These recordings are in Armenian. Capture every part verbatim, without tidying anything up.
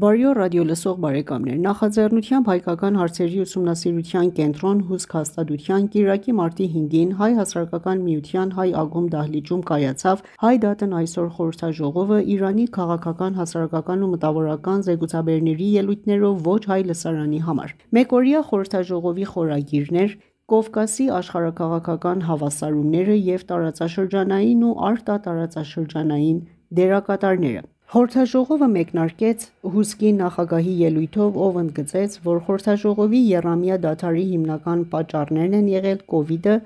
Բարի օր ռադիոլսող բարեկամներ: Նախաձեռնությամբ Հայկական հարցերի ուսումնասիրության կենտրոն հուսք հաստատության կիրակի մարտի հինգին Հայ հասարակական միության Հայ ակումբ դահլիճում կայացավ «Հայ դատն այսօր» խորհրդաժողովը Իրանի քաղաքական, հասարակական ու մտավորական զեկուցաբերների ելույթներով ոչ հայ լսարանի համար: Մեկօրյա խորհրդաժողովի խորագիրն էր «Կովկասի աշխարհաքաղաքական հավասարումները և տարածաշրջանային ու արտատարածաշրջանային դերակատարները»: Խորհրդաժողովը մեկնարկեց հուսքի նախագահի ելույթով, ով ընդգծեց, որ խորհրդաժողովի եռամյա դադարի հիմնական պատճառներն են եղել կովիդը,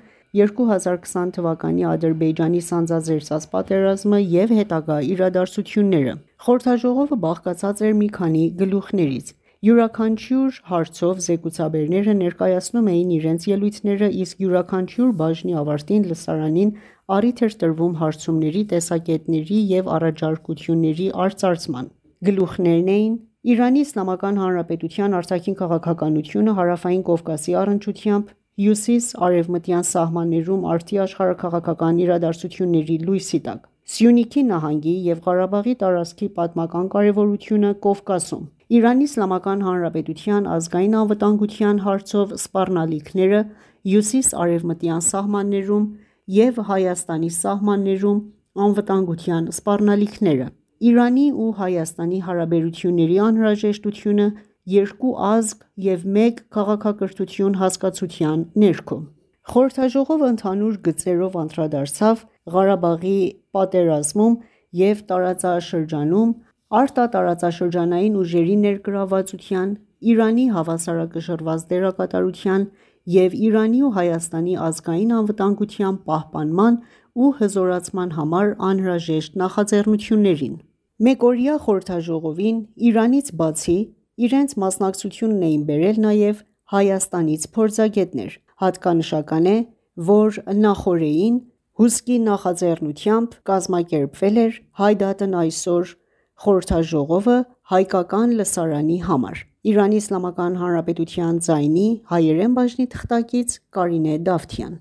երկու հազար քսան թվականի Ադրբեջանի սանձազերծած պատերազմը և հետագա իրադարձությունները: Խորհրդաժողովը բաղկացած էր մի քանի գլուխներից: Յուրաքանչյուր հարցով զեկուցաբերները ներկայացնում էին իրենց ելույթները, իսկ յուրաքանչյուր բաժնի ավարտին լսարանին առիթ էր տրվում հարցումների, տեսակետների և առաջարկությունների արծարծման: Գլուխներն էին՝ Իրանի Իսլամական Հանրապետության արտաքին քաղաքականությունը Հարավային Կովկասի առնչությամբ, հյուսիս-արևմտյան սահմաններում արդի աշխարհաքաղաքական իրադարձությունների լույսի տակ, Սյունիքի նահանգի և Ղարաբաղի տարածքի պատմական կարևորությունը Կովկասում, Իրանի Իսլամական Հանրապետության ազգային անվտանգության հարցով սպառնալիքները հյուսիս-արևմտյան սահմաններում և Հայաստանի սահմաններում անվտանգության սպառնալիքները, Իրանի ու Հայաստանի հարաբերությունների անհրաժեշտությունը երկու ազգ և մեկ քաղաքակրթություն հասկացության ներքո: Խորհրդաժողովը ընդհանուր գծերով անդրադարձավ Ղարաբաղի պատերազմում և տարածաշրջանում արտատարածաշրջանային ուժերի ներգրավվածության, Իրանի հավասարակշռված դերակատարության և Իրանի ու Հայաստանի ազգային անվտանգության պահպանման ու հզորացման համար անհրաժեշտ նախաձեռնություններին: Մեկօրյա խորհրդաժողովին Իրանից բացի իրենց մասնակցությունն էին բերել նաև Հայաստանից փորձագետներ: Հատկանշական է, որ նախօրեին հուսքի նախաձեռնությամբ կազմակերպվել էր «Հայ դատն այսօր» խորհրդաժողովը հայկական լսարանի համար: Իրանի Իսլամական Հանրապետության ձայնի հայերեն բաժնի թղթակից Կարինե Դավթյան: